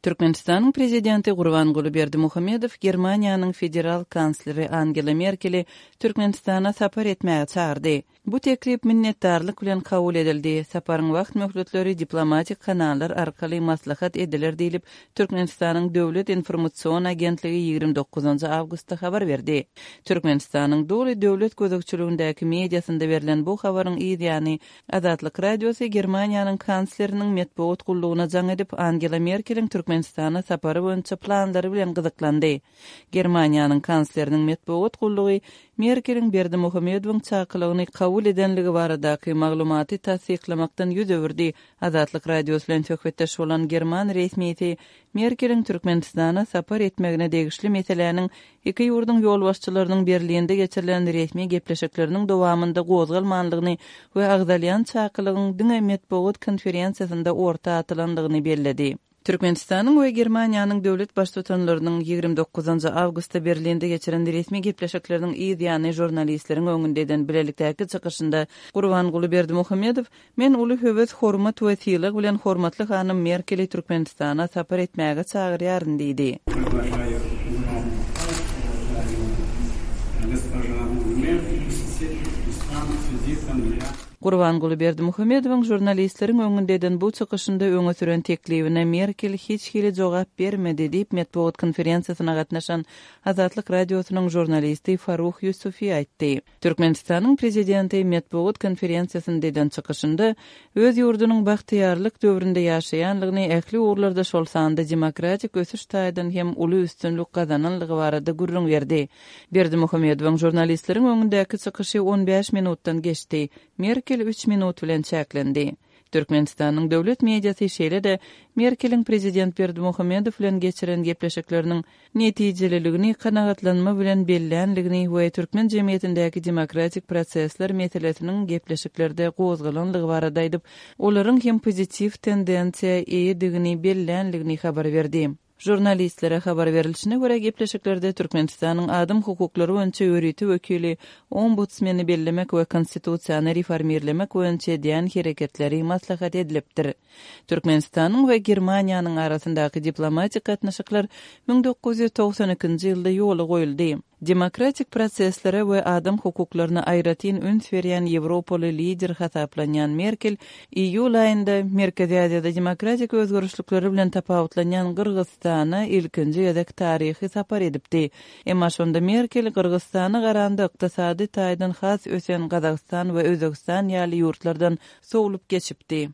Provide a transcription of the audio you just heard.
Türkmenistanyň Prezidenti Gurbanguly Berdimuhamedow Germaniýanyň Federal Kansleri Angela Merkeli Türkmenistana sapar etmäge çagyrdy. Bu teklip minnetdarlyk bilen kabul edildi. Saparyň wagt möhletleri diplomatik kanallar arkaly maslahat ediler diýlip, Türkmenistanyň Döwlet informasion agentligi 29 awgustda habar berdi. Türkmenistanyň doly döwlet gözegçiligindäki mediasynda berlen bu habaryň yz ýany, Azatlyk Radiosy Germaniýanyň kansleriniň metbugat gullugyna jaň edip, Angela Merkeliň Türkmenistana sapary boýunça planlary bilen gyzyklandy. Germaniýanyň kansleriniň metbugat gullugy Merkeliň Berdimuhamedowyň çakylygyny kabul edenligi baradaky maglumaty tassyklamakdan ýüz öwürdi. Azatlyk Radiosy bilen söhbetdeş bolan german resmisi Merkeliň Türkmenistana sapar etmegine degişli meseläniň iki ýurduň ýolbaşçylarynyň Berlinde geçirilen resmi gepleşikleriniň dowamynda gozgalmandygyny we agzalýan çakylygyň diňe metbugat konferensiýasynda orta atylandygyny belledi. Türkmenistanyň we Germaniýanyň döwlet Baştutanlarynyň 29 awgustda Berlinde geçiren resmi gepleşikleriniň yz ýany žurnalistleriň öňünde eden bilelikdäki çykyşynda Gurbanguly Berdimuhamedow Men uly höwes, hormat we sylag bilen hormatly hanym Merkeli Türkmenistana sapar etmäge çagyrýaryn diýdi. Gurbanguly Berdimuhamedowyň žurnalistleriň öňünde eden bu çykyşynda öňe süren teklibine Merkel hiç hili jogap bermedi diýip, metbugat konferensiýasyna gatnaşan Azatlyk Radiosynyň žurnalisti Faruh Ýusufi aýtdy. Türkmenistanyň Prezidenti metbugat konferensiýasynda eden çykyşynda öz ýurdunyň bagtyýarlyk döwründe ýaşaýanlygyny, ähli ugurlarda, şol sanda demokratik ösüş taýdan hem uly üstünlik gazananlygy barada gürrüň berdi. Berdimuhamedowyň žurnalistleriň öňündäki çykyşy on bäş minutdan geçdi. Merkel üç minut bilen çäklendi. Türkmenistanyň döwlet mediasy şeýle-de Merkeliň prezident Berdimuhamedow bilen geçiren gepleşikleriniň netijeliligini kanagatlanma bilen bellänligini we türkmen jemgyýetindäki demokratik prosesler meselesiniň gepleşiklerde gozgalanlygy barada aýdyp, olaryň hem pozitiw tendensiýa eýedigini bellänligini habar berdi. Žurnalistlere habar berilişine görä, gepleşiklerde Türkmenistanyň adam hukuklary boýunça ýörite wekili Ombudsmeni bellemek we Konstitusiýany reformirlemek boýunça edýän hereketleri maslahat edilipdir. Türkmenistanyň we Germaniýanyň arasyndaky diplomatik gatnaşyklar 1992-nji ýylda ýola goýuldy. Demokratik proseslere we adam hukuklaryna aýratyn üns berýän ýewropaly lider hasaplanýan Merkel iýul aýynda Merkezi Aziýada demokratik özgerişlikleri bilen tapawutlanýan Gyrgyzystana ilkinji gezek taryhy sapar edipdi. Emma şonda Merkel Gyrgyzystana garanda ykdysady taýdan has ösen Gazagystan we Özbegistan ýaly ýurtlardan sowlup geçipdi.